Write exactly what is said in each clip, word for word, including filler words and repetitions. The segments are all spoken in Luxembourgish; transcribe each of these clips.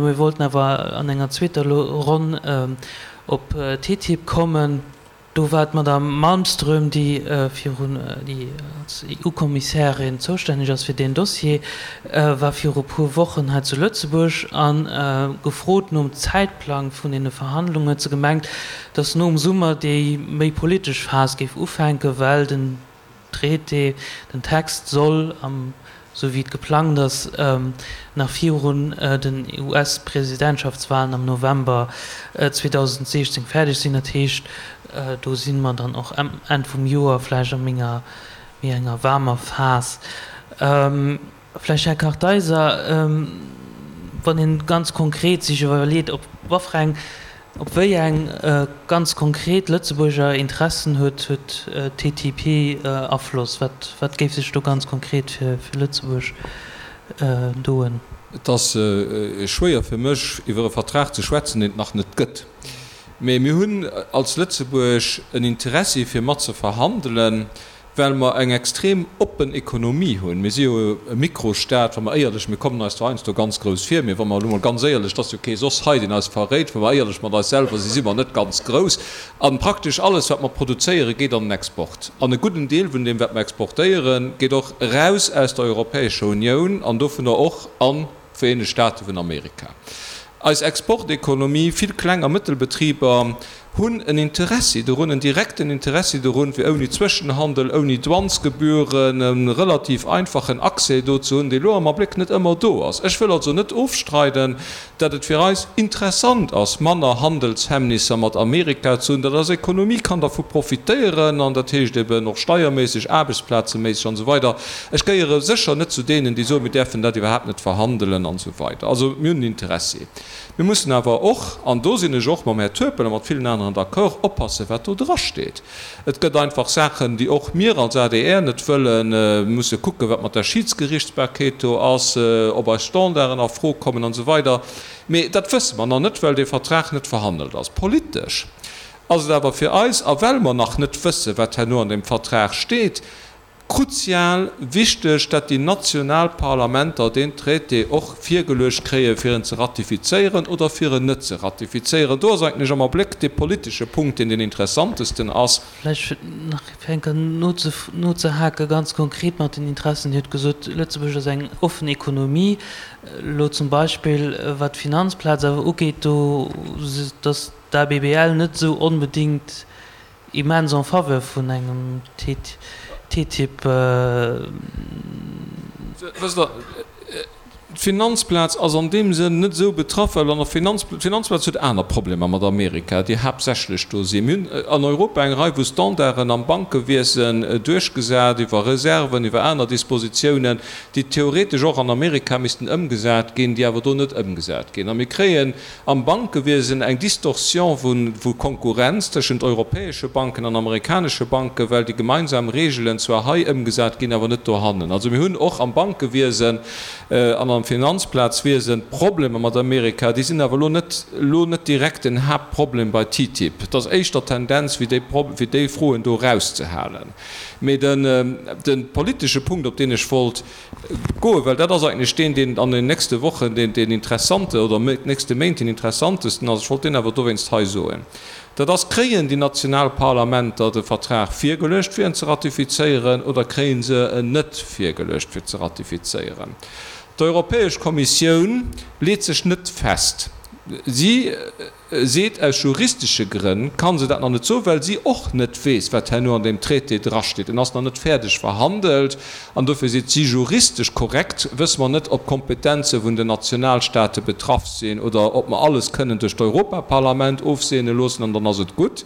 Mir wollten awer an enger zweeter Ronn op T T I P kommen. Do war d'Madame Malmström, déi virun, déi als E U-Kommissärin zoustänneg ass fir deen Dossier, war viru puer Wochen hei zu Lëtzebuerg a gefrot nom Zäitplang vun deene Verhandlungen huet se gemengt, datt nom Summer déi méi politesch Phas géif ufänken, well den Traité, den Text soll am, sou wéi et geplangt ass, nach virun den U S-Presidentschaftswahlen am November zweedausendsiechzéng fäerdeg sinn. Dat heescht, do si mer dann och Enn vum Joer vläicht a menger méi enger waarmer Phas. Vläicht, Här Kartheiser, wann ee ganz konkret sech iwwerleet, op waffer op wéi eng ganz konkret Lëtzebuerger Interessen huet huet T T I P Afloss? Wat wat géif sech do ganz konkret fir fir Lëtzebuerg doen? Et ass schwéier fir mech, iwwer e Vertrag ze schwätzen, deen et nach net gëtt. Mee mir hunn als Lëtzebuerg en Interessi fir mat ze verhandelen, well mer eng extrem oppen Ekonomie hunn. Mir si jo e Mikrostat, wa mer éierlech, mir kommen eis zwar heiansdo ganz grouss vir, mee wa mer elo mol ganz éierlech, et ass jo kee soss hei, deen eis verréit, wa mer éierlech mat eis selwer si, si mer net ganz grouss. A praktesch alles, wat mer produzéieren, geet an den Export. An e gudden Deel vun deem, wat mer exportéieren, geet och eraus aus der Europäescher Unioun an dovunner och an d'Vereenegt State vun Amerika. Eis Exportekonomie, vill Kleng a Mëttelbetriber hunn en Interessi dorun, en direkten Interessi dorun, fir ouni Zwëschenhandel, ouni Douanesgebühren, e relativ einfachen Accès do ze hunn, dee lo am Abléck net ëmmer do ass. Ech wëll also net ofstreiden, datt et fir eis interessant ass, manner Handelshemmnisser mat Amerika ze hunn, datt eis Ekonomie kann dervu profitéieren, an dat heescht eben och steierméisseg, aarbechtsplazeméisseg an esou weider. Ech gehéiere sécher net zu deenen, déi soen, mir däerfen dat iwwerhaapt net verhandelen an esou weider. Also mir hunn en Interessi. Mir mussen awer och, an do sinn ech och mam Här Turpel a mat villen aneren d'accord, oppassen, wat do drasteet. Et gëtt einfach Saachen, déi och mir als A D R net wëllen. Mir musse kucken, wat mat der Schiedsgerichtsbarkeet do ass, ob eis Standarden a Fro kommen an esou weider. Mee dat wësse mer nach net, well dee Vertrag net verhandelt ass. Politesch ass et awer fir eis, a well mer nach net wëssen, wat herno an deem Vertrag steet, kruzial wichteg, datt déi national Parlamenter deen Traité och virgeluecht kréien, fir en ze ratifizéieren oder fir en net ze ratifizéieren. Do ass eigentlech am Abléck dee politesche Punkt, deen deen interessantesten ass. Vläicht fir nach fir eng Kéier nozehaken, ganz konkret mat den Interessen. Dir hutt gesot, Lëtzebuerg ass eng offen Ekonomie. Elo zum Beispill wat d'Finanzplaz awer ugeet, do ass d'A B B L net esou onbedéngt immens en faveur vun engem T T I P. Wësst Der, d'Finanzplaz ass an deem Sënn net esou betraff, well an der Finanz, d'Finanzplaz huet aner Problemer mat Amerika, déi haaptsächlech do sinn. Mir hunn an Europa eng Rei vu Standarden am Bankewiesen duerchgesat, iwwer Reserven, iwwer aner Dispositiounen, déi theoretesch och an Amerika missten ëmgesat ginn, déi awer do net ëmgesat ginn. A mir kréien am Bankewiesen eng Distorsion vu Konkurrenz tëschent europäesche Banken an amerikanesche Banken, well déi gemeinsam Regeln zwar hei ëmgesat ginn, awer net dohannen. Also mir hunn och am Bankewiesen an am Finanzplazwiesen Problemer mat Amerika, déi sinn awer elo net elo net direkt den Haaptproblem bei T T I P. Et ass éischter d'Tendenz, fir déi fir déi Froen do erauszehalen. Mee den de politesche Punkt, op deen ech wollt goen, well dat ass eigentlech deen, deen an den nächste Wochen deen deen interessante oder nächste Méint deen interessantesten ass, ech wollt deen awer dowéinst hei soen, dat ass: Kréien déi national Parlamenter de Vertrag virgeluecht, fir en ze ratifizéieren, oder kréie se en net virgeluecht, fir ze ratifizéieren? D'Europäesch Kommissioun leet sech net fest. Si seet, aus juristesche Grënn ka se dat nach net soen, well si och net weess, wat herno an deem Traité drasteet. En ass nach net fäerdeg verhandelt an dofir seet si, juristesch korrekt wësse mer net, ob d'Kompetenze vun den Nationalstate betraff sinn oder ob mer alles kënnen duerch d'Europaparlament ofseene loossen an dann ass et gutt.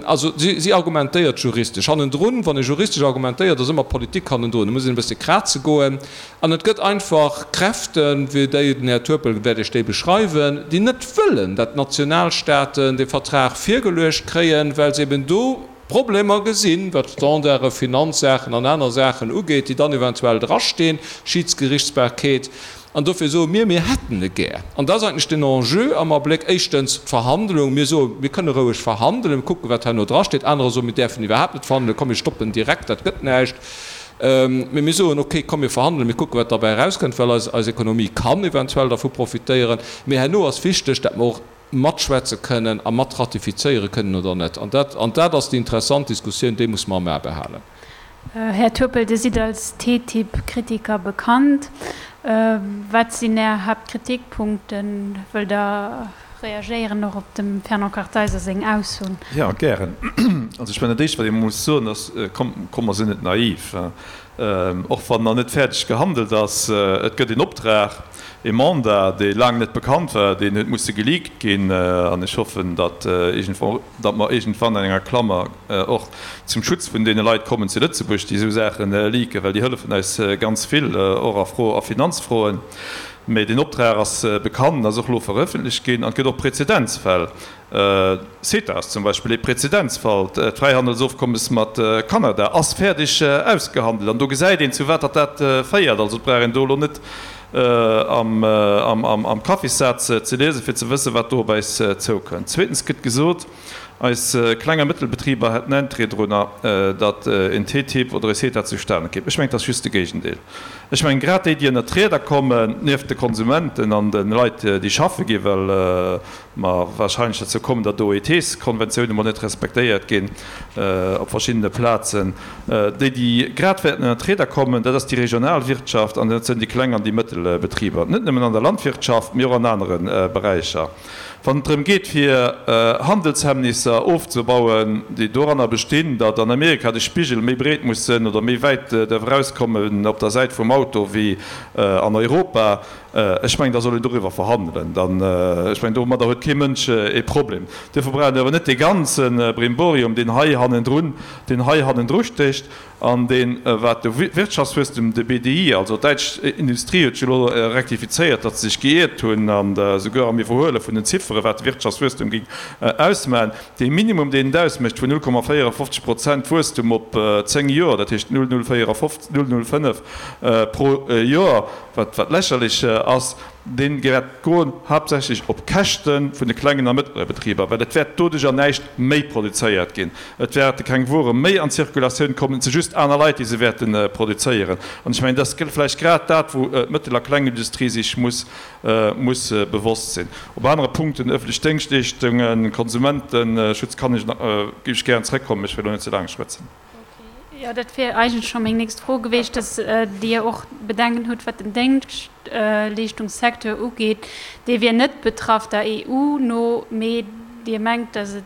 Also si argumentéiert juristesch hannendrun. Wann ee juristesch argumentéiert, ass ëmmer Politik hannendrun. Da muss een e bësse kraze goen. An et gëtt einfach Kräften, wéi déi den Här Turpel wäert Iech déi beschreiwen, déi net wëllen, datt d'Nationalstaaten dee Vertrag virgeluecht kréien, well se eben do Problemer gesinn, wat Standarde, Finanzsaachen an aner Saachen ugeet, déi dann eventuell drastinn, Schiedsgerichtsbarkeet. An dofir soe mir, mir hätten e gär. An dat ass eigentlech den Enjeu am Abléck, éischtens d'Verhandlung. Mir soen, mir kënne roueg verhandelen, mir kucken, wat herno drasteet. Anerer soen, mir däerfen iwwerhaapt net verhandelen, komm mir stoppen direkt, dat gëtt näischt. Mee mir soen, okay, komm mir verhandelen, mir kucken, wat derbäi erauskënnt, well eis, eis Ekonomie kann eventuell dervu profitéieren. Mee herno ass wichteg, datt mer och matschwätze kënnen a mat ratifizéiere kënnen oder net. An dat, an dat ass déi interessant Diskussioun, déi muss mer am A behalen. Här Turpel, Dir sidd als T T I P-Kritiker bekannt. Wat sinn Är Haaptkritikpunkten? Wëllt Der reagéieren och op dem Fernand Kartheiser seng Aussoen? Jo, gären. Also ech mengen, dat Éischt, wat ee muss soen, ass, komm, komm, mer sinn net naiv. Och wann nach net fäerdeg gehandelt ass, et gëtt een Optrag, ee Mandat, dee laang net bekannt war, deen huet musse geleakt ginn. An ech hoffen, datt iergendwann, datt mer iergendwann an enger Klammer och zum Schutz vun deene Leit kommen zu Lëtzebuerg, déi esou Saache leaken, well déi hëllefen eis ganz vill, och a Fro, a Finanzfroen. Mee deen Optrag ass bekannt, ass och elo verëffentlecht ginn an et gëtt och Prezedenzfäll. CETA ass zum Beispill ee Prezedenzfall. D'Fräihandelsofkommes mat Kanada ass fäerdeg ausgehandelt an do gesäit een, zu wat datt dat féiert. Also et brauch een do elo net am Kaffissaz ze liesen, fir ze wëssen, wat do op eis zoukënnt. Zweetens gëtt gesot, eis Kleng a Mëttelbetriber hätten Interêt drunner, datt en T T I P oder e CETA zustane kéim. Ech mengen, et ass just de Géigendeel. Ech mengen, grad déi, déi ënnert d'Rieder kommen, nieft de Konsumenten an de Leit, déi schaffe ginn, well mer wahrscheinlech derzou kommen, datt d'O E Ts-Konventioune mol net respektéiert ginn op verschiddene Plazen, déi, déi grad wäerten ënnert d'Rieder kommen, dat ass déi regional Wirtschaft an dat sinn déi kleng an déi mëttel Betriber, net nëmmen an der Landwirtschaft, mee och an anere Beräicher. Wann et drëm geet, fir Handelshemmnisser ofzebauen, déi doranner bestinn, datt an Amerika de Spigel méi breet muss sinn oder méi wäit däerf erauskommen op der Säit vum Auto wéi an Europa, ech mengen, da soll een doriwwer verhandelen. Dann, ech mengen, domadder huet kee Mënsch ee Problem. Duerfir brauch een awer net dee ganze Brimborium, deen hei hannendrun, deen hei hannendru stécht. An deen, wat de Wirtschaftswuesstem, de B D I, also d'däitsch Industrie huet jo elo rektifizéiert, datt se sech geiert hunn an esouguer am Iwwerhuele vun den Ziffere wat de Wirtschaftswuesstem géing ausmachen, dee Minimum, deen et ausmécht vun null Komma véierefofzeg Prozent Wuesstum op zéng Joer, dat heescht null Komma null véierefofzeg, null Komma null fënnef pro Joer, wat wat lächerlech ass, dee wäert goen haaptsächlech op Käschte vun de klengen a mëttlere Betriber, well et wäert doduercher näischt méi produzéiert ginn, et wäerte keng Wuere méi an d'Zirkulatioun kommen, et si just aner Leit, déi se wäerte produzéieren. An ech mengen, dat ass vläicht grad dat, wou d'Mëttel a Klengindustrie sech muss muss bewosst sinn. Op anere Punkten, ëffentlech Déngschtleeschtungen, Konsumenteschutz, kann ech nach, géif ech gären zrëckkommen, ech wëll elo net ze laang schwätzen. Jo, dat wier eigentlech scho meng nächst Fro gewiescht, dass Dir och Bedenken hutt, wat den Déngschtleeschtungssecteur ugeet. Dee wier net betraff der E U no, mee Dir mengt, dass et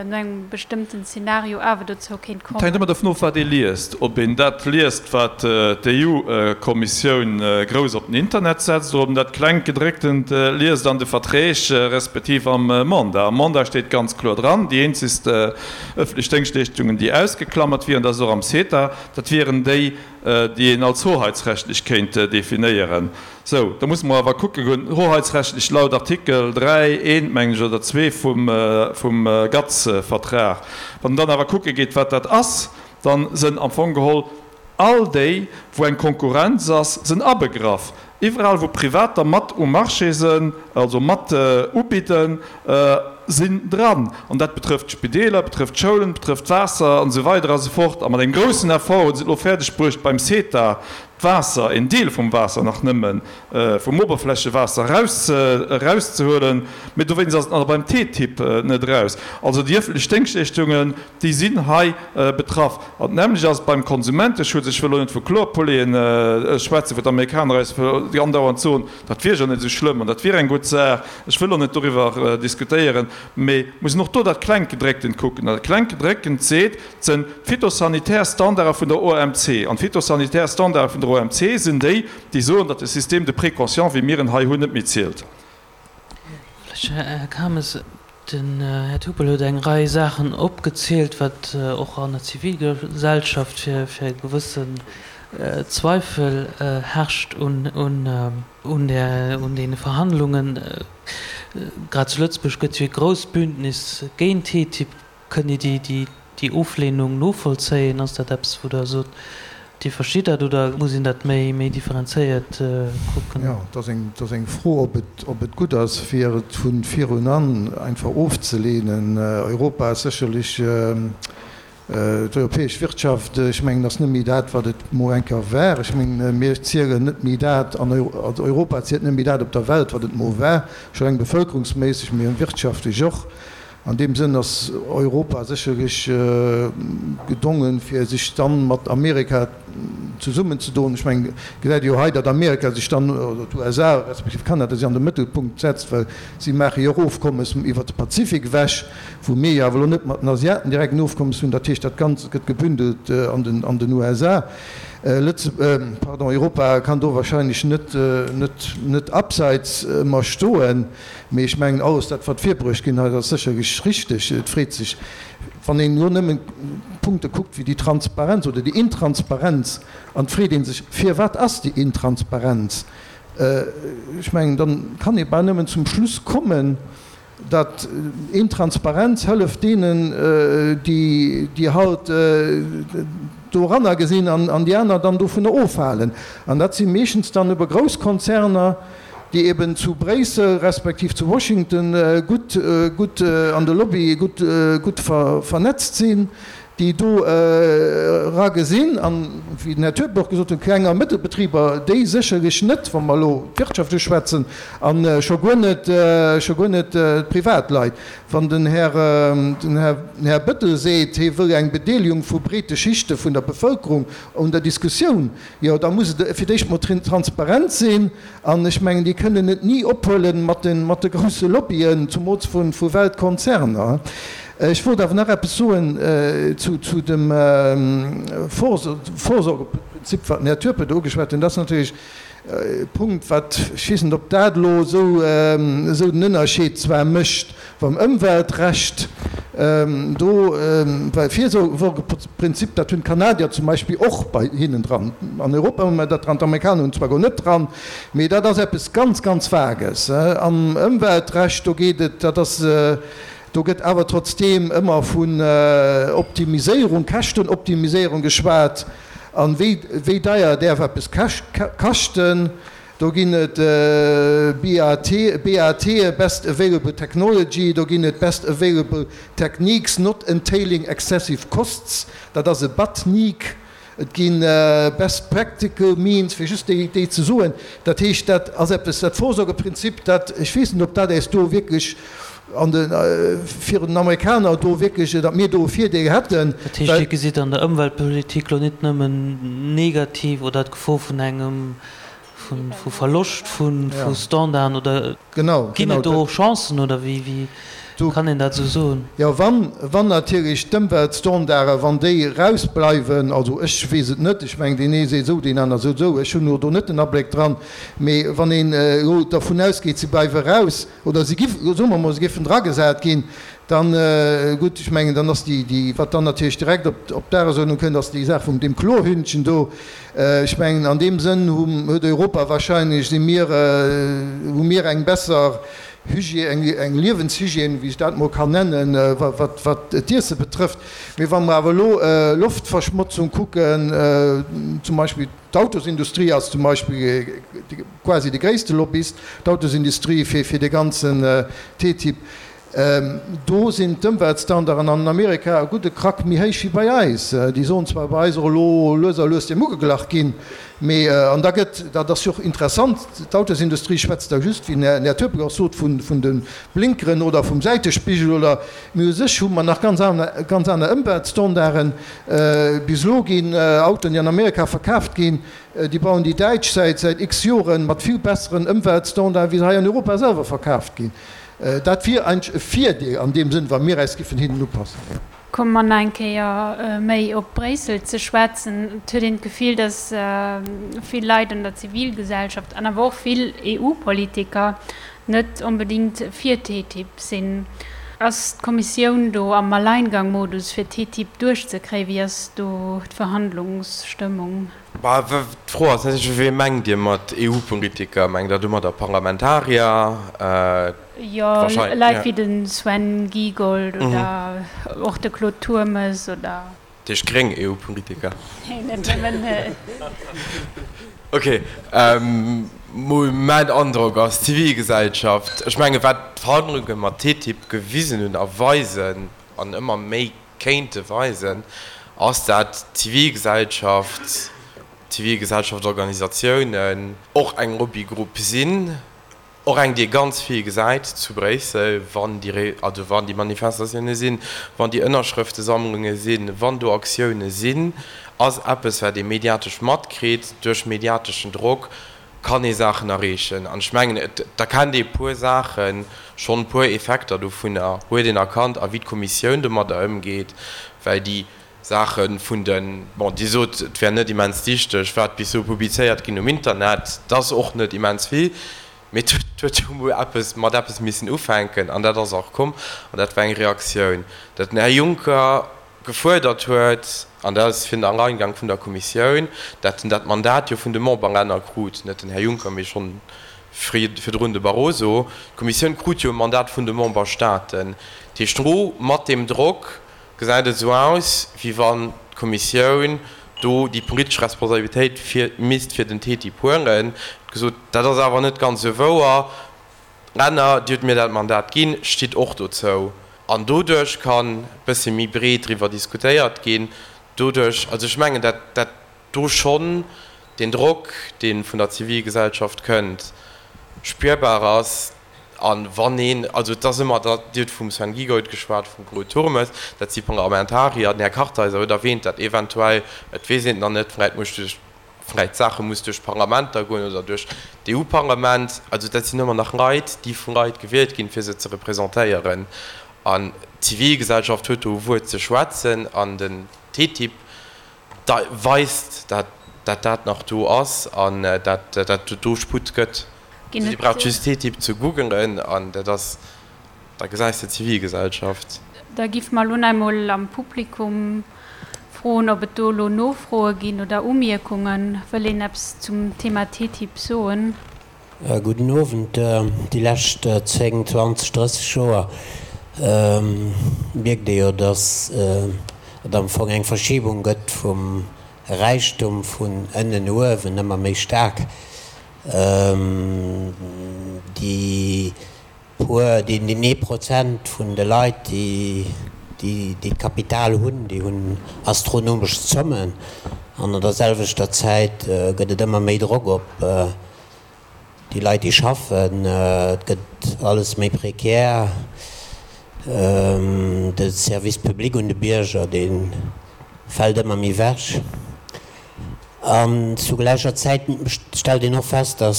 no engem bestëmmten Zeenario awer dozou kéint Et hänkt kommen. ëmmer dovun of, wat ee liest. Ob een dat liest, wat d'E U-Kommissioun grouss op den Internet setzt, oder ob een dat klengt Gedrécktent liest an de Verträg respektiv am Mandat. Am Mandat steet ganz kloer dran, déi eenzegst ëffentlech Déngschtleeschtungen, déi ausgeklammert wieren, dat ass och am CETA, dat wieren déi, déi een als hoheitsrechtlech kéint definéieren. Sou, da musse mer awer kucke goen, hoheitsrechtlech laut Artikel dräi, eent, mengen ech, oder zwee vum, vum GATS-Vertrag. Wann een dann awer kucke geet, wat dat ass, da sinn am Fong geholl all déi, wou eng Konkurrenz ass, sinn abegraff. Iwwerall, wou Privater mat um Marché sinn, also mat ubidden, sinn dran. An dat betrëfft d'Spideeler, betrëfft d'Schoulen, betrëfft d'Waasser an esou weider a sou fort. A mat engem groussen Effort hu se et elo fäerdeg bruecht, beim CETA d'Waasser, een Deel vum Waasser nach nëmmen, vum Oberflächewaasser eraus, erauszehuelen. Mee dowéinst ass et nach beim T T I P net eraus. Also déi ëffentlech Déngschtleeschtungen, déi sinn hei betraff. An d'nämmlecht ass et beim Konsumenteschutz. Ech wëll elo net vu Chlorpolleen schwätzen, wou d'Amerikaner eis andauernd soen, dat wier jo net esou schlëmm an dat wier eng gutt Saach. Ech wëll och net doriwwer diskutéieren, mee mussen och do dat Klenggedrécktent kucken. An dat Klenggedrécktent seet, et sinn d'phytosanitär Standarde vun der O M C. An d'phytosanitär Standarde vun der O M C sinn déi, déi soen, datt de Système de précaution, wéi mir en hei hunn, net méi zielt. Vläch, Här Kames, den Här Turpel huet eng Rei Saachen opgezielt, wat och an der Zivilgesellschaft fir fir e gewëssen Zweifel herrscht un un un der un deene Verhandlungen. Grad zu Lëtzebuerg gëtt jo e grousst Bündnis géint T T I P. Kënnt Dir déi déi déi Oflehnung novollzéien? Ass dat eppes, wou Der sot, Dir verstitt dat, oder muss een dat méi méi differenzéiert kucken? Jo, et ass eng, et ass eng Fro, ob et, ob et gutt ass, fir et vu virun an einfach ofzelehnen. Europa ass sécherlech D'europäesch Wirtschaft, ech mengen, ass net méi dat, wat et mol eng Kéier war. Ech mengen, mir zielen net méi dat an, also Europa zielt net méi dat op der Welt, wat et mol war, scho reng bevölkerungsméisseg, mee wirtschaftlech och. An deem Sënn ass Europa sécherlech gedongen, fir sech dann mat Amerika zesummenzedoen. Ech mengen, et gesäit ee jo hei, datt Amerika sech dann, oder d'USA respektiv Kanada sech an de Mëttelpunkt setzt, well si maache jo och Ofkommes iwwert de Pazifik ewech, wou mir jo awer elo net mat den Asiaten direkt en Ofkommes hunn. Dat heescht, dat Ganzt gëtt gebündelt an den, an den USA. Lëtze, pardon, Europa kann do wahrscheinlech net, net, net abseits ëmmer stoen. Mee ech mengen, alles dat, wat virbruecht ginn hei, ass sécherlech richteg. Et freet sech, wann een elo nëmmen Punkte kuckt wéi déi Transparenz oder déi Intransparenz, an et freet ee sech, Firwat ass déi Intransparenz? Ech mengen, da kann ee bal nëmmen zum Schluss kommen, Dat Intransparenz hëlleft deenen, déi halt doranner gesinn an déi aner dann dovunner ofhalen. An dat si meeschtens dann ebe grouss Konzerner, déi eben zu Bréissel respektiv zu Washington gutt, gutt an de Lobbye gutt, gutt vernetzt sinn, déi do era gesinn, an, wéi den Här Turpel och gesot huet, Kleng a Mëttelbetriber, déi sécherlech net, wa mer elo wirtschaftlech schwätzen, a scho guer net, scho guer net d'Privatleit. Wann den Här, den Här Bettel seet, hie wëll eng Bedeelegung vu breete Schichte vun der Bevëlkerung un der Diskussioun, jo, da muss et fir d'éischt mol transparent sinn. An ech mengen, déi kënnen et ni ophuelen mat de, mat de grousse Lobbyen, zumools vu, vu Weltkonzerner. Ech wollt awer nach eppes soen zu dem Vorsorgeprinzip, wat den Här Turpel do ugeschwat huet. Dat ass natierlech e Punkt, wat, ech weess net, ob dat elo esou den Ënnerscheed zwar mécht beim Ëmweltrecht do, well Virsorgeprinzip, dat hunn d'Kanadier zum Beispill och bei hinnen dran. An Europa hu mer dat dran, d'Amerikaner hunn et zwar guer net dran, mee dat ass eppes ganz, ganz Vages. Am Ëmweltrecht, do geet et, dat ass, Do gëtt awer trotzdeem ëmmer vun Optimiséierung, Käschtenoptimiséierung geschwat. An wéi, wéi deier däerf eppes kaschten? Do ginn et BAT, BAT, Best Available Technology, do ginn et Best Available Techniques Not Entailing Excessive Costs, dat ass e BATNEEC. Et gi best practical means, fir just déi ze soen. Dat heescht, dat ass eppes, dat Vorsorgeprinzip, dat, ech weess net, ob dat äis do wierklech an de, virun den Amerikaner do wierklech, datt mir do e Virdeel hätten. Dat heescht, Dir gesitt an der Ëmweltpolitik elo net nëmmen negativ oder d'Gefor vun engem vu Verloscht vu Standarden oder ginn et do och Chancen oder wéi kann een dat esou soen? Jo, wann, wann natierlech d'Ëmweltstandarden, wann déi erausbleiwen, also ech weess et net, ech mengen deen ee seet esou, deen aner seet esou, ech hunn elo do net den Abléck dran, mee wann een elo dervun ausgeet, si bleiwe eraus oder si gi, soe mer emol, se géifen dragesat ginn, dann, gutt, ech mengen, dann ass déi, déi, wat dann natierlech direkt op, op d'Dagesuerdnung kënnt, ass déi Saach vum deem Chlorhündchen do. Ech mengen, an deem Sënn hu, huet Europa wahrscheinlech, si mir, hu mir eng besser Hygiène, eng, eng Liewenshygiène, wéi ech dat emol kann nennen, wat, wat, wat d'Iesse betrëfft. Mee wa mer awer elo Loftverschmotzung kucken, zum Beispill d'Autosindustrie ass zum Beispill quasi de gréisste Lobbyist, d'Autosindustrie fir, fir dee ganzen TTIP. Do sinn d'Ëmweltstandarden an Amerika e gudde Krack méi héich wéi bei eis. Déi sollen zwar bei eis och elo lues a lues deem ugeglach ginn, mee, an da gëtt, dat ass jo och interessant, d'Autosindustrie schwätzt da just, wéi den Här Turpel och sot, vun de Blinkeren oder vum Säitespigel oder, mee u sech hu mer nach ganz aner, ganz aner Ëmweltstandarden. Bis elo ginn Autoen, déi an Amerika verkaaft ginn, déi bauen déi Däitsch säit säit x Joren mat vill besseren Ëmweltstandarden, wéi se hei an Europa selwer verkaaft ginn. Dat wier eigentlech e Virdeel an deem Sënn, wa mir äis giffen hinnen upassen. Komme mer nach eng Kéier méi op Bréissel ze schwätzen. Et huet een d'Gefill, datt vill Leit an der Zivilgesellschaft an awer och vill EU-Politiker net onbedéngt fir TTIP sinn. Ass d'Kommissioun do am Alleingang-Modus fir TTIP duerchzekréien? Wéi ass do d'Verhandlungsstëmmung? Bah, d'Fro ass natierlech, Wee mengt Dir mat EU-Politiker? Mengt Der domadder Parlamentarier? Jo, Leit wéi de Sven Giegold oder och de Claude Turmes oder. Dat heescht gréng EU-Politiker? Nee, net nëmmen. Ok, mol mäin Androck ass, d'Zivilgesellschaft, ech menge wat d'Verhandlunge mat TTIP gewisen hunn a weisen an ëmmer méi kéinte weisen, ass dat d'Zivilgesellschaft, Zivilgesellschaftsorganisatiounen och eng Lobbygrupp sinn, och eng, déi ee ganz vill gesäit zu Bréissel, wann déi, also wann déi Manifestatioune sinn, wann déi Ënnerschrëftesammlunge sinn, wann do Aktioune sinn, ass eppes, wat ee mediatesch matkritt. Duerch mediateschen Drock kann ee Saachen erreechen. An ech mengen, et erkennt ee puer Saachen schonn, puer Effekter dovunner huet een erkannt, a wéi d'Kommissioun domadder ëmgeet, well déi Saache vun de, bon, Dir sot, et wär net immens dichteg, wat bis elo publizéiert ginn um Internet, dat ass och net immens vill, mee et huet jo emol eppes mat eppes missen ufänken an dat ass och komm an dat war eng Reaktioun, datt den Här Juncker gefuerdert huet, an dat ass fir den Alleingang vun der Kommissioun, datt en dat Mandat jo vun de Memberlänner krut, net den Här Juncker, mee schonn virdrun de Barroso, d'Kommissioun krut jo e Mandat vun de Memberstaaten. Dat heescht, elo mat deem Drock gesäit et esou aus, wéi wann d'Kommissioun do déi politesch Responsabilitéit fir misst fir den TTIP huelen. Huet gesot, dat ass awer net ganz esou wouer, Länner, Dir hutt mir dat Mandat ginn, stitt och dozou. An doduerch kann e bësse méi breet driwwer diskutéiert ginn. Doduerch, also ech mengen, dat dat do schonn deen Drock, dee vun der Zivilgesellschaft kënnt, spürbar ass. A wann een, also et ass ëmmer, Dir hutt vum Sven Giegold geschwat, vum Claude Turmes, dat si Parlamentarier, den Här Kartheiser huet erwähnt, dat eventuell, et weess een et nach net, vläicht muss duerch, vläicht d'Saache muss duerch d'Parlamenter goen oder duerch d'EU-Parlament. Also dat sinn ëmmer nach Leit, déi vu Leit gewielt ginn, fir se ze representéieren. An d'Zivilgesellschaft huet do e Wuert ze schwätzen an den TTIP weist, dat dat nach do ass an dat dat do Sputt gëtt. Dir braucht just TTIP ze googelen an dat ass, da gesäis de d'Zivilgesellschaft. Da giff mer elo nach emol am Publikum froen, ob et do elo Nofroe ginn oder Umierkungen. Wëll een eppes zum Thema TTIP soen? Gudden Owend. Déi lescht zéng, zwanzeg, drësseg Joer mierkt ee jo, datt et am Fong eng Verschiebung gëtt vum Räichtum vun ënnen no uewen, ëmmer méi staark. Déi puer, deen ee Prozent vun de Leit, déi déi d'Kapital hunn, déi hunn astronomesch Zommen. An an der selwechter Zäit gëtt et ëmmer méi Drock op déi Leit, déi schaffen. Et gëtt alles méi prekär. De Service public un de Bierger, dee fält ëmmer méi ewech. An zu gläicher Zäit stellt een och fest, datt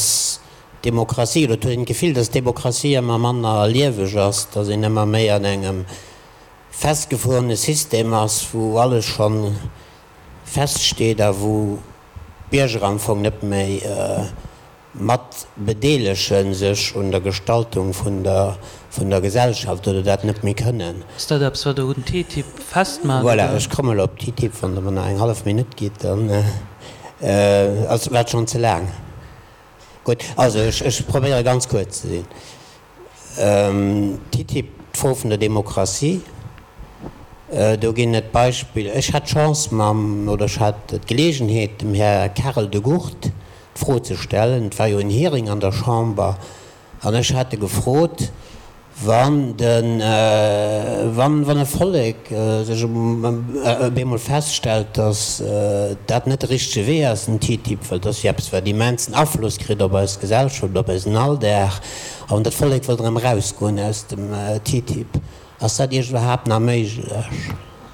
d'Demokratie, oder et huet een d'Gefill, datt d'Demokratie ëmmer manner lieweg ass, datt een ëmmer méi an engem festgefuerene System ass, wou alles scho feststeet a wou d'Bierger am Fong net méi mat bedeelege sech un der Gestaltung vun der vun der Gesellschaft oder dat net méi kënnen. Ass dat eppes, wat Der un TTIP festmaacht, Voilà, ech kommen elo op TTIP, wann Der mer nach eng hallef Minutt gitt, dann ass dat schonn ze laang. Gutt, also ech ech probéiere ganz kuerz ze sinn. TTIP, d'Fro vun der Demokratie, do ginn et Beispiller. Ech hat d'Chance mam, oder ech hat d'Geleegenheet, dem Här Karel De Gucht d'Fro ze stellen, et war jo en Hearing an der Chamber, an ech hat e gefrot, wann de, wann, wann e Vollek sech op eemol feststellt, datt dat net de richtege Wee ass, den TTIP, well dat ass jo eppes, wat immensen Afloss kritt op eis Gesellschaft, op eisen Alldag, a wann dat Vollek wëllt erëm erausgoen aus dem TTIP, Ass dat Iech iwwerhaapt nach méiglech?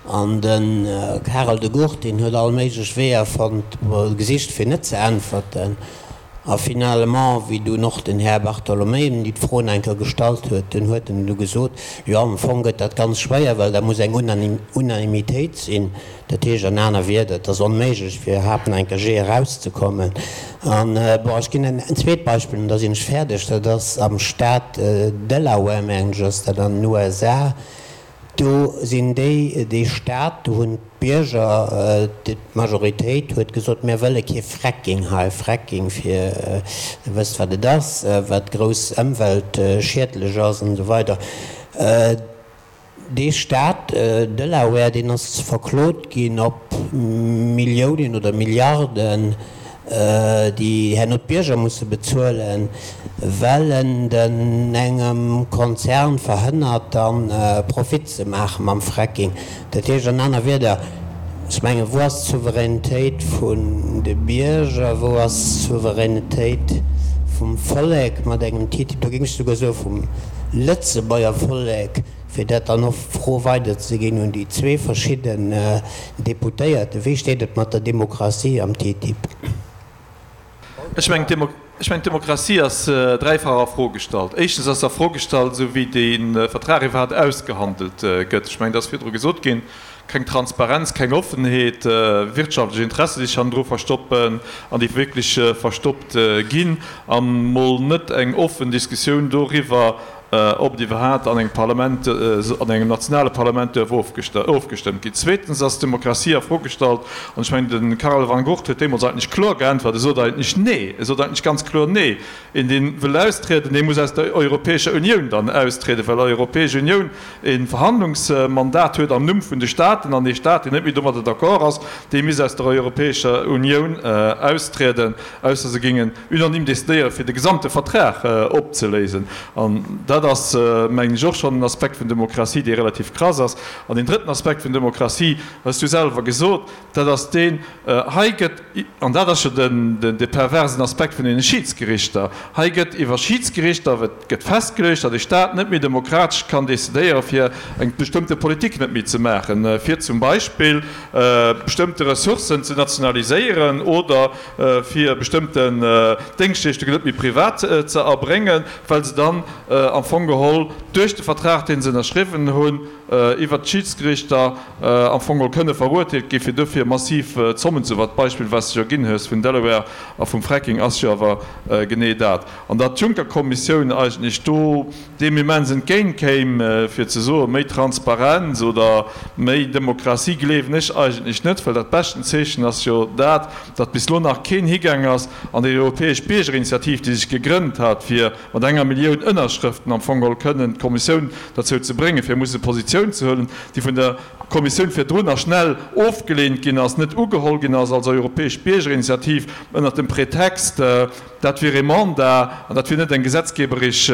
An de Karel De Gucht, deen huet all méiglech Weeër fonnt, gesicht, fir net ze äntwerten. A finalement, wéi dunn och den Här Bartolomei em déi d'Fro nach eng Kéier gestallt huet, dunn huet en du gesot, Jo, am Fong gëtt dat ganz schwéier, well da muss eng Unanimitéit sinn. Dat heescht an aner Wierder, et ass onméiglech, fir iwwerhaapt nach eng Kéier jee erauszekommen. An, bon, ech ginn en zweet Beispill an da sinn ech fäerdeg. Dat ass am Staat Delaware, mengen ech ass dat, an den U S A. Do sinn déi, dee Staat, do hunn d'Bierger, d'Majoritéit huet gesot, mir wëlle kee Fracking hei. Fracking, fir, Der wësst wat et ass, wat grouss ëmweltschiedlech ass an esou weider. Dee Staat Delaware, deen ass verklot ginn op Milliounen oder Milliarden, déi herno d'Bierger musse bezuelen, well en den engem Konzern verhënnert dann Profit ze maache mam Fracking. Dat heescht an aner Wierder, ech mengen, wou ass d'Souveränitéit vun de Bierger, wou ass d'Souveränitéit vum Vollek mat engem TTIP, do géing ech souguer soe vum Lëtzebuerger Vollek, fir dat dann och d'Fro weiderzeginn un déi zwee verschidden Deputéierten, Wéi steet et mat der Demokratie am TTIP? Ech mengen, d'Demokratie ass dräifach a Fro gestallt. Éischtens ass se a Fro gestallt, esou wéi dee Vertrag iwwerhaapt ausgehandelt gëtt. Ech mengen, et ass virdru gesot ginn, keng Transparenz, keng Offenheet, wirtschaftlech Interessen, déi sech hannendru verstoppen an déi wierklech verstoppt ginn, a mol net eng offen Diskussioun doriwwer, ob et iwwerhaapt an engem Parlament, an engem nationale Parlament duerf ofgestëmmt ginn. Zweetens ass d'Demokratie a Fro gestallt, an ech mengen, de Karel Van Gucht huet deemools eigentlech kloer geäntwert, e sot eigentlech Nee, e sot eigentlech ganz kloer Nee. Een, dee wëll austrieden, dee muss aus der Europäescher Unioun dann austrieden, well d'Europäesch Unioun e Verhandlungsmandat huet am Numm vun de Staaten, an ee Staat, deen net méi domadder d'accord ass, dee misst aus der Europäescher Unioun austrieden, ausser se géingen unanime decidéieren, fir de gesamte Vertrag opzeléisen. An dat ass, mengen ech, och schonn en Aspekt vun Demokratie, dee relativ krass ass. An deen drëtten Aspekt vun Demokratie, hues du selwer gesot, dat ass deen, hei gëtt, an dat ass jo den, de perversen Aspekt vun deene Schidsgerichter, hei gëtt iwwer Schidsgerichter gëtt festgeluecht, datt e Stat net méi demokratesch kann decidéieren, fir eng bestëmmte Politik net méi ze maachen, fir zum Beispill bestëmmte Ressourcen ze nationaliséieren oder fir bestëmmten Déngschtleeschtungen net méi privat ze erbréngen, well se dann am Fong geholl duerch de Vertrag, dee se ënnerschriwwen hunn, iwwert d'Schidsgerichter am Fong geholl kënne verurteelt gi fir dofir massiv Zommen ze. Wat d'Beispill, wat s de jo ginn hues vun Delaware a vum Fracking, ass jo awer genee dat. An datt d'Juncker-Kommissioun eigentlech do deem immens entgéint kéim, fir ze soen, méi Transparenz oder méi Demokratie, gleewen ech eigentlech net, well dat beschten Zeechen ass jo dat, datt bis elo nach keen higaang ass an déi europäesch Biergerinitiativ, déi sech gegrënnt hat, fir mat enger Millioun Ënnerschrëften am Fong geholl kënnen d'Kommissioun derzou ze bréngen, fir musse Positioun ze huelen, déi vun der Kommissioun virdrun a schnell ofgeleent ginn ass, net ugeholl ginn ass als europäesch Biergerinitiativ, ënnert dem Pretext, dat wier ee Mandat an dat wier net eng gesetzgeberesch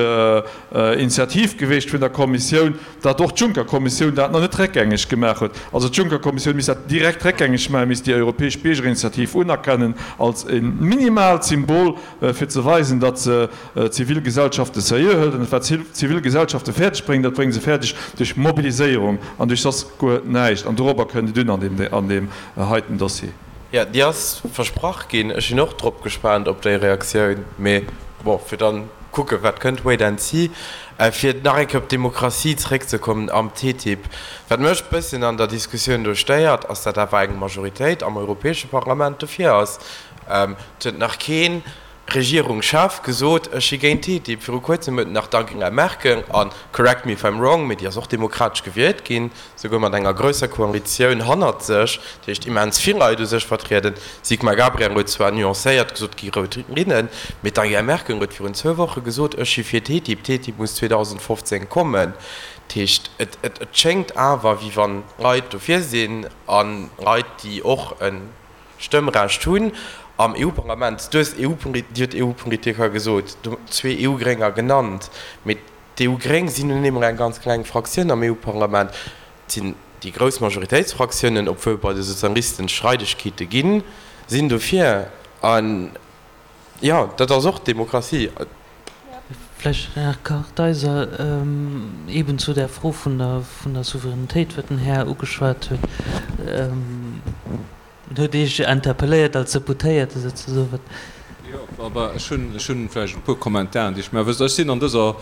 Initiativ geweecht vun der Kommissioun, datt och d'Juncker-Kommissioun dat nach net réckgängeg gemaach huet. Also d'Juncker-Kommissioun misst dat direkt réckgängeg maachen, misst déi europäesch Biergerinitiativ unerkennen als e minimaalt Symbol, fir ze weisen, datt se d'Zivilgesellschafte seriö hëlt. An wat d'Zivilgesellschafte fäerdeg bréngen, dat brénge se fäerdeg duerch Mobiliséierung an duerch soss guer näischt. An dorobber kënnt et un an deem heiten Dossier. Jo, déi ass versprach ginn. Ech sinn och drop gespaant op déi Reaktioun. Mee bon, fir dann kucken, wat kënnt, wait and see. Fir nach eng Kéier op d'Demokratie zréckzekommen am TTIP, Wat mech e bësschen an der Diskussioun do stéiert, ass, datt awer eng Majoritéit am Europäesche Parlament dofir ass. Et huet nach kee Regierungschef gesot, ech si géint TTIP. Viru kuerzem huet nach d'Angela Merkel, a correct me if I'm wrong, mee déi ass och demokratesch gewielt ginn, souguer mat enger grousser Koalitioun hannert sech, dat heescht immens vill Leit u sech vertrieden. D'Sigmar Gabriel huet zwar nuancéiert gesot, et gi rout Linnen, mee d'Angela Merkel huet virun zwou Woche gesot, ech si fir TTIP, TTIP muss zweedausendfofzéng kommen. Dat heescht, et schéngt awer, wéi wann Leit dofir sinn a Leit, déi och e Stëmmrecht hunn am E U-Parlament. Du hues Dir hutt E U-Politiker gesot, zwee E U-Grénger genannt, mee d'E U-Gréng sinn nun eemol eng ganz kleng Fraktioun am E U-Parlament. Et sinn déi grouss Majoritéitsfraktiounen, obwuel bei de Sozialisten Streidegkeete ginn, sinn dofir. An jo, dat ass och Demokratie. Vläicht, Här Kartheiser, eben zu där Fro vun der, vun der Souveränitéit, wat den Här ugeschwat huet. En huet Iech interpelléiert als Deputéierte souzesoen. Wat. Jo, awer ech hunn, ech hunn vläicht e puer Kommentaren, déi ech maachen wëll. Ech sinn an dëser,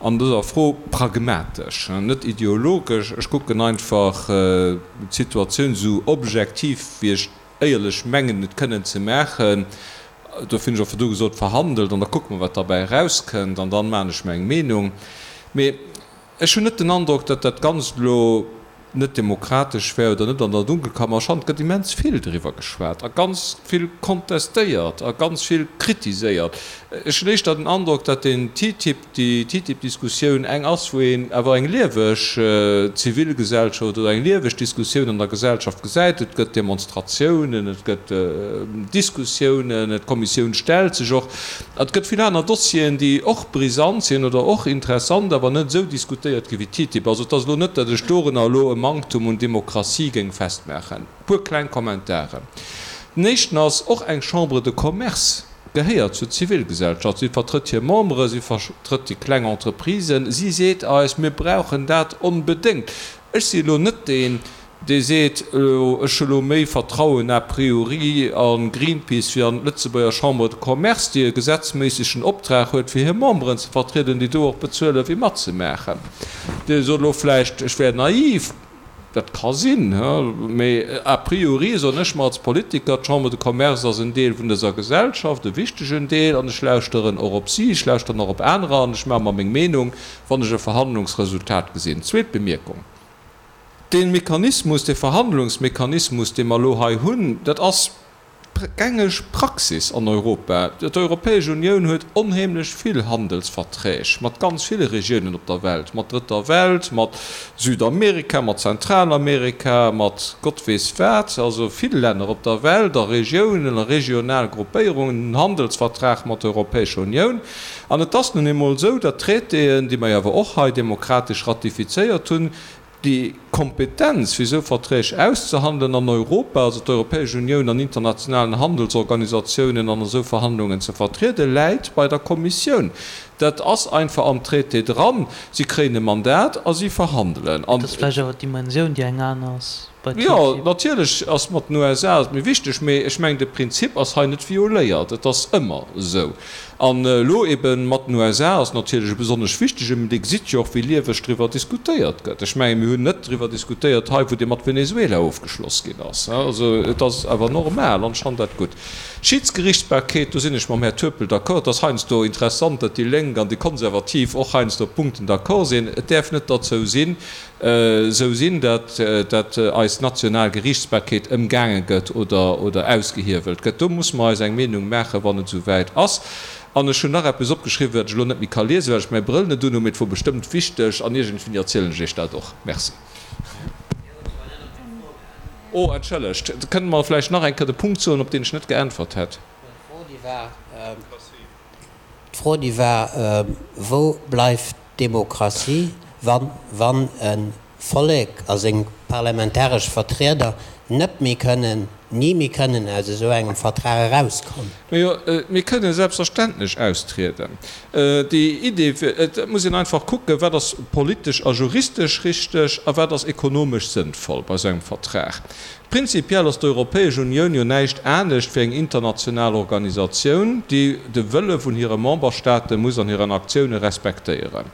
an dëser Fro pragmatesch, net ideologesch. Ech kucken einfach d'Situatioun esou objektiv, wéi ech éierlech mengen, et kënnen ze maachen. Dofir hunn ech och virdu gesot, verhandelt an da kucke mer, wat derbäi erauskënnt an dann maachen ech mer eng Meenung. Mee ech hunn net den Androck, datt dat Ganzt elo net demokratesch wär oder net an der Dunkelkammer. Ech fannen, et gëtt immens vill driwwer geschwat a ganz vill kontestéiert a ganz vill kritiséiert. Ech hunn éischter den Androck, datt den TTIP, déi TTIP-Diskussioun eng ass, wou een awer eng lieweg Zivilgesellschaft oder eng lieweg Diskussioun an der Gesellschaft gesäit. Et gëtt Demonstratiounen, et gëtt Diskussiounen, d'Kommissioun stellt sech och. Et gëtt vill aner Dossieren, déi och brisant sinn oder och interessant, awer net esou diskutéiert gi wéi TTIP. Also et ass elo net, datt ech dorunner elo e Manktum un Demokratie géing festmaachen. E puer kleng Kommentaren. Den éischten ass, och eng Chambre de Commerce gehéiert zur Zivilgesellschaft. Si vertrëtt hir Membere, si vertrëtt déi kleng Entreprisen. Si seet eis, mir brauchen dat onbedéngt. Ech si elo net deen, dee seet, ech hu elo méi Vertrauen a priori a Greenpeace wéi an d'Lëtzebuerger Chambre de Commerce, déi e gesetzméissegen Optrag huet, fir hir Memberen ze vertrieden, déi do och bezuelen, fir matzemaachen. Dir sot elo vläicht, ech wär naiv. Dat ka sinn, mee a priori soen ech mer als Politiker, d'Chambre de Commerce ass en Deel vun dëser Gesellschaft, e wichtegen Deel, an ech lauschteren och op si, ech lauschteren och op anerer an ech maache mer meng Meenung, wann ech e Verhandlungsresultat gesinn. Zweet Bemierkung, Dee Mechanismus, dee Verhandlungsmechanismus, dee mer elo hei hunn, dat ass gängeg Praxis an Europa. D'Europäesch Unioun huet onheemlech vill Handelsverträg mat ganz ville Regiounen op der Welt, mat Drëtter Welt, mat Südamerika, mat Zentralamerika, mat Gott weess wat, also vill Länner op der Welt a Regiounen a regional Gruppéierungen hunn Handelsvertrag mat der Europäescher Unioun. An et ass nun eemol esou, datt d'Traitéen, déi mer jo awer och hei demokratesch ratifizéiert hunn, Déi Kompetenz, fir esou Verträg auszehandelen an Europa, also d'Europäesch Unioun an internationalen Handelsorganisatiounen an esou Verhandlungen ze vertrieden, läit bei der Kommissioun. Dat ass einfach am Traité dran. Si kréien e Mandat a si verhandelen. Et ass vläicht awer d'Dimensioun, déi eng aner ass bei Jo, TTIP. natierlech ass mat den U S A et méi wichteg, mee ech mengen, de Prinzip ass hei net violéiert. Et ass ëmmer esou. An elo ebe mat den U S A ass natierlech e besonnesch wichtege, mee Dir gesitt jo och, wéi lieweg driwwer diskutéiert gëtt. Ech mengen, mir hunn net driwwer diskutéiert hei, wou dee mat Venezuela ofgeschloss ginn ass. Also et ass awer normal an ech fannen dat gutt. Schiedsgerichtsbarkeet, do sinn ech mam Här Turpel d'accord. Et ass heiansdo interessant, datt déi Lénk an déi Konservativ och heiansdo op Punkten d'accord sinn. Et däerf net derzou sinn, esou sinn, datt datt eis national Geriichtsbarkeet ëmgaange gëtt oder oder ausgehiewelt gëtt. Do musse mer eis eng Meenung maachen, wann et esou wäit ass. An ech hunn nach eppes opgeschriwwen, wat ech elo net méi ka liesen, well ech mäi Brëll net unhunn, mee et wor bestëmmt wichteg an iergendwéini erzielen ech Iech dat och. Merci. Oh, entschëllegt, kënnt mer vläicht nach eng Kéier de Punkt soen, op deen ech net geäntwert hätt? D'Fro, déi war, Wou bleift d'Demokratie, wann, wann e Vollek a seng parlamentaresch Vertrieder net méi kënnen, ni méi kënnen aus esou engem Vertrag erauskommen? Majo, mir kënnen selbstverständlech austrieden. Déi Idee, et muss een einfach kucken, wat ass politesch a juristesch richteg a wat ass ekonomesch sënnvoll bei esou engem Vertrag. Prinzipiell ass d'Europäesch Unioun jo näischt anescht wéi eng international Organisatioun, déi de Wëlle vun hire Memberstaate muss an hiren Aktioune respektéieren.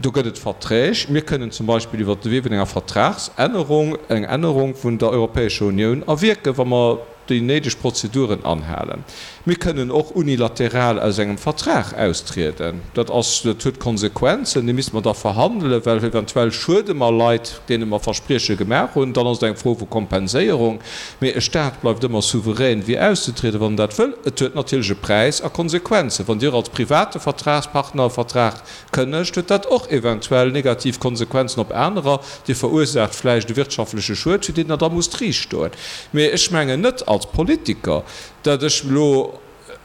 Do gëtt et Verträg. Mir kënnen zum Beispill iwwert de Wee vun enger Vertragsännerung eng Ännerung vun der Europäescher Unioun erwierken, wa mer déi néideg Prozeduren anhalen. Mir kënnen och unilateral aus engem Vertrag austrieden. Dat ass, dat huet Konsequenzen, déi misste mer da verhandelen, well eventuell schuede mer Leit, deene mer Versprieche gemaach hunn. Dann ass et eng Fro vu Kompenséierung. Mee e Stat bleift ëmmer souverän, fir auszetrieden, wann en dat wëll. Et huet natierlech e Präis a Konsequenzen. Wann Dir als private Vertragspartner e Vertrag kënnegt, huet dat och eventuell negativ Konsequenzen op anerer. Dir verursaacht vläicht e wirtschaftleche Schued, fir deen Der da musst riichtstoen. Mee ech mengen net als Politiker, datt ech elo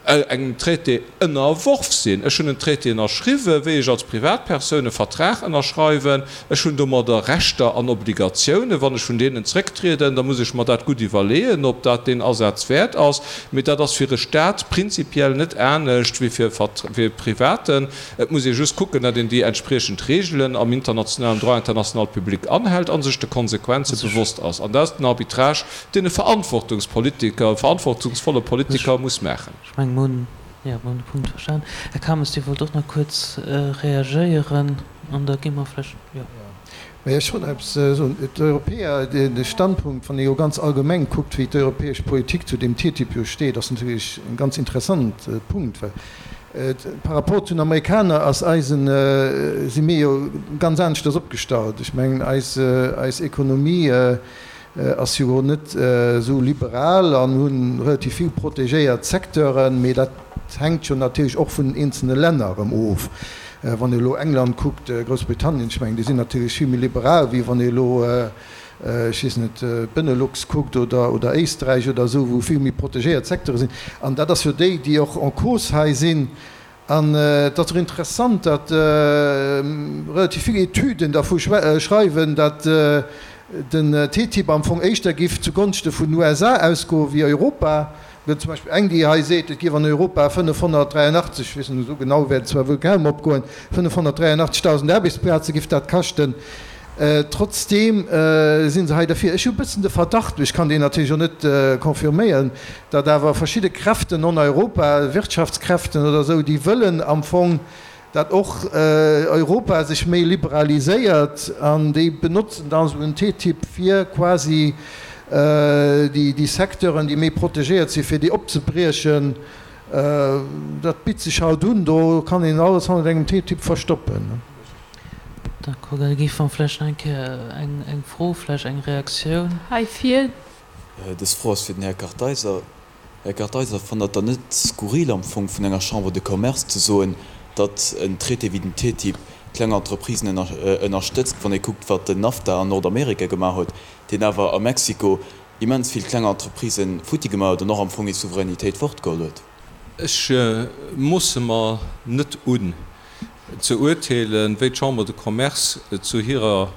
engem Traité ënnerworf sinn. Ech hunn en Traité ënnerschriwwen, wéi ech als Privatpersoun e Vertrag ënnerschreiwen. Ech hunn domadder Rechter an Obligatiounen. Wann ech vun deenen zrécktrieden, da muss ech mer dat gutt iwwerleeën, ob dat deen Asaz wäert ass. Mee dat ass fir e Stat prinzipiell net anescht wéi fir e Privaten. Et muss ee just kucken, datt een déi entspriechend Regeln am internationalen Droit international public anhält a sech de Konsequenze bewosst ass. An dat ass den Arbitrage, deen e Verantwortungspolitiker, e verantwortungsvolle Politiker muss maachen. Ech mengen, mir hunn, jo, mir hunn de Punkt verstan. Här Kames, Dir wollt och nach kuerz reagéieren an da gi mer vläicht, jo. Mä ech wollt nach eppes soen. D'Europäer, de Standpunkt, wann ee jo ganz allgemeng kuckt, wéi d'europäesch Politik zu deem TTIP jo steet, ass natierlech e ganz interessant Punkt, well par rapport zu den Amerikaner ass eisen, si mir jo ganz aneschters opgestallt. Ech mengen, eis, eis Ekonomie ass jo net esou liberal an hu relativ vill protegéiert Secteuren, mee dat hänkt jo natierlech och vun den eenzelne Länner erëm of. Wann ee elo England kuckt, Groussbritannien, ech mengen, déi sinn natierlech vill méi liberal, wéi wann ee elo, ech weess net, d'Benelux kuckt oder, oder Éisträich oder esou, wou vill méi protegéiert Secteure sinn. An dat ass jo déi, déi och en cause hei sinn. An et ass och interessant, datt relativ vill Etüden dervu schreiwen, datt den TTIP am Fong éischter giff zugonschte vun den U S A ausgoe wéi Europa. Et gëtt zum Beispill eng, déi hei seet, et giff an Europa fënnefhonnertdräianachtzeg, ech weess net, esou genau wäert et zwar wuel kaum opgoen, fënnefhonnertdräianachtzegtausend Aarbechtsplaze giff dat kaschten. Trotzdeem si se hei derfir. Ech hu e bëssen de Verdacht, mee ech kann deen natierlech och net confirméieren, datt awer verschidde Kräften an Europa, Wirtschaftskräften oder esou, déi wëllen am Fong, datt och Europa sech méi liberaliséiert an déi benotzen dann esou en TTIP fir quasi déi Secteuren, déi méi protegéiert sinn, fir déi opzebriechen. Dat bitt sech halt un, do kann een alles hannert engem TTIP verstoppen. D'accord, da géife mer vläicht nach eng Kéier eng Fro, vläicht eng Reaktioun. Hei vir. Dës Fro ass fir den Här Kartheiser. Här Kartheiser, fannt Der et dann net skurril am Fong vun enger Chambre de Commerce ze soen, datt en Traité wéi den TTIP kleng Entreprisen ënnerstëtzt, wann ee kuckt, wat den NAFTA an Nordamerika gemaach huet, deen awer a Mexiko immens vill kleng Entreprisë futti gemaach huet an och am Fong hir Souveränitéit fortgeholl huet? Ech moosse mer net un ze urteelen, wéi d'Chambre de Commerce zu hirer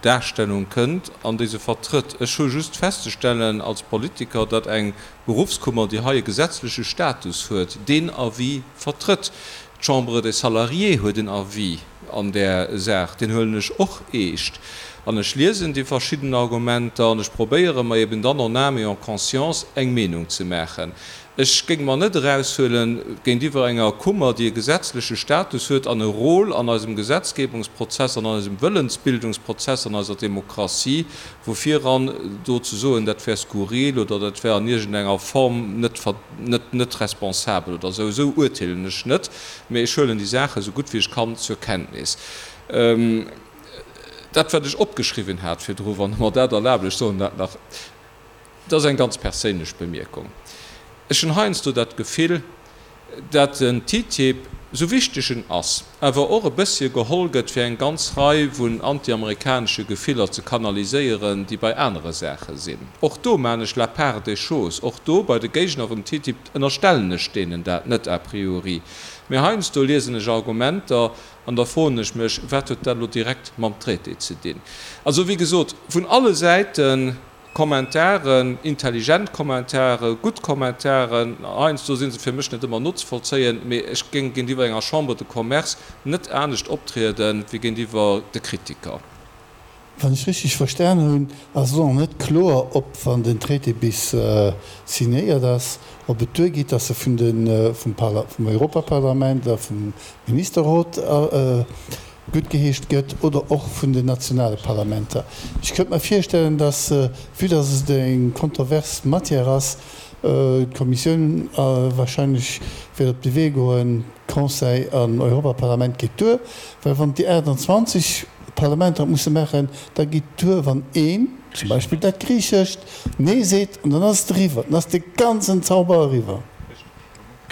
Darstellung kënnt an déi se vertrëtt. Ech hu just festzestellen als Politiker, datt eng Beruffskummer, déi hei e gesetzleche Status huet, deen Avis vertrëtt. D'Chambre des Salariés huet en Avis an där Saach, deen huelen ech och eescht. An ech liesen déi verschidden Argumenter an ech probéiere mer eben dann en âme et en conscience eng Meenung ze maachen. Ech géing mer net eraushuelen, géintiwwer enger Kummer, déi e gesetzleche Status huet an e Rôle an eisem Gesetzgebungsprozess, an eisem Wëllensbildungsprozess, an eiser Demokratie, vu viran do ze soen, dat wär skurril oder dat wär an iergendenger Form net, net, net responsabel oder esou. Esou urteelen ech net, mä ech huelen déi Saache esou gutt wéi ech kann zur Kenntnis. Dat, wat ech opgeschriwwen hat virdru, wann Der mer dat erlaabt, ech soen dat nach, dat ass eng ganz perséinlech Bemierkung. Ech hunn heiansdo dat Gefill, dat den TTIP, sou wichteg en ass, awer och e bëssche geholl gëtt, fir eng ganz Rei vun antiamerikanesche Gefiller ze kanaliséieren, déi bei anere Saache sinn. Och do maan ech la part des choses. Och do, bei de Géigner vum TTIP, ënnerstellen ech deenen dat net a priori. Mee heiansdo liesen ech Argumenter an da froen ech mech, Wat huet dat elo direkt mam Traité ze dinn? Also, wéi gesot, vun alle Säiten Kommentaren, intelligent Kommentaren, gutt Kommentaren, heiansdo si se fir mech net ëmmer nozevollzéien, mee ech géing géintiwwer enger Chambre de Commerce net anescht optriede wéi géintiwwer de Kritiker. Wann ech richteg verstan hunn, ass elo nach net kloer, ob, wann den Traité bis signéiert ass, ob et duergeet, dass e vun de, vum Parla, vum Europaparlament a vum Ministerrot guttgeheescht gëtt oder och vun den nationale Parlamenter. Ech könnte mer virstellen, dass, vue dass et eng kontrovers Matière ass, d'Kommissioun wahrscheinlech wäert op de Wee goen, Conseil an Europaparlament geet duer, well wann déi aachtanzwanzeg Parlamenter et musse maachen, da geet duer, wann een, zum Beispill dat Griichescht, Nee seet an dann ass et eriwwer, dann ass de ganzen Zauber eriwwer.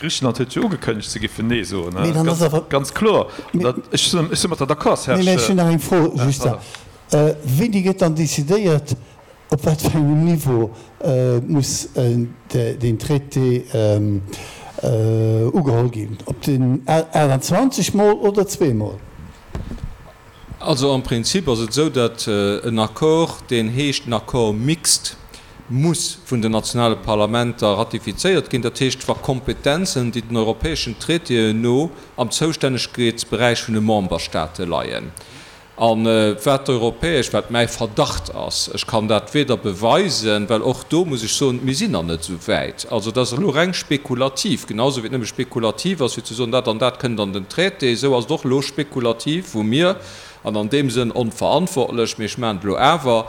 Griichenland huet jo ugekënnegt, se géifen Nee soen, Mee dann ass awer. ganz kloer. Ech si mat der d'accord, Serge. Nee, mä ech hunn nach eng Fro, just. Wéini gëtt dann decidéiert, op wat fir engem Niveau muss deen Traité ugeholl ginn? Op den aachtanzwanzeg Mol oder zweemol? Also am Prinzip ass et esou, datt en Accord, deen heescht en Accord mixte, muss vun den nationale Parlamenter ratifizéiert ginn. Dat heescht, wa Kompetenzen, déi den europäeschen Traitéen no am Zoustännegkeetsberäich vun de Memberstate leien, a wat d'europäesch, wat mäi Verdacht ass, ech kann dat weder beweisen, well och do muss ech soen, mir sinn nach net esou wäit, also dat ass elo reng spekulativ, genau esou wéi et nëmme spekulativ ass fir ze soen, dat an dat kënnt an den Traité, esou ass et och elo spekulativ, wou mir an an deem Sënn onverantwortlech, mee ech maachen et elo awer,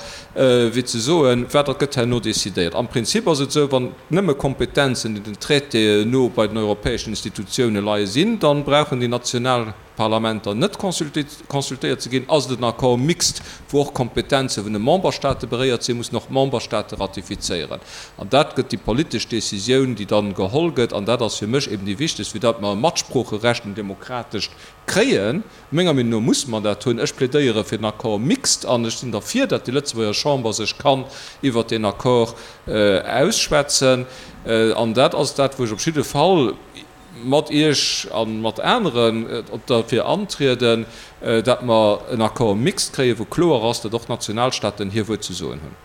fir ze soen, wat dat gëtt herno decidéiert. Am Prinzip ass et esou, wann nëmme Kompetenzen, déi den Traitéen no bei den europäeschen Institutioune leie sinn, da brauchen déi national Parlamenter net consultéiert ze ginn. Ass et en Accord mixte, wou och Kompetenze vun de Memberstate beréiert sinn, mussen och d'Memberstate ratifizéieren. An dat gëtt déi politesch Décisioun, déi dann geholl gëtt. An dat ass fir mech eben déi wichtegst, fir datt mer e Matsproocherecht, en demokratescht kréien. Menger Meenung no musse mer dat hunn. Ech plädéiere fir den Accord mixte an ech sinn derfir, datt déi Lëtzebuerger Chamber sech kann iwwert deen Accord ausschwätzen. An dat ass dat, wou ech op jidde Fall mat Iech a mat aneren derfir antrieden, datt mer en Accord mixte kréien, wou kloer ass, datt och d'Nationalstaaten hir Wuert ze soen hunn.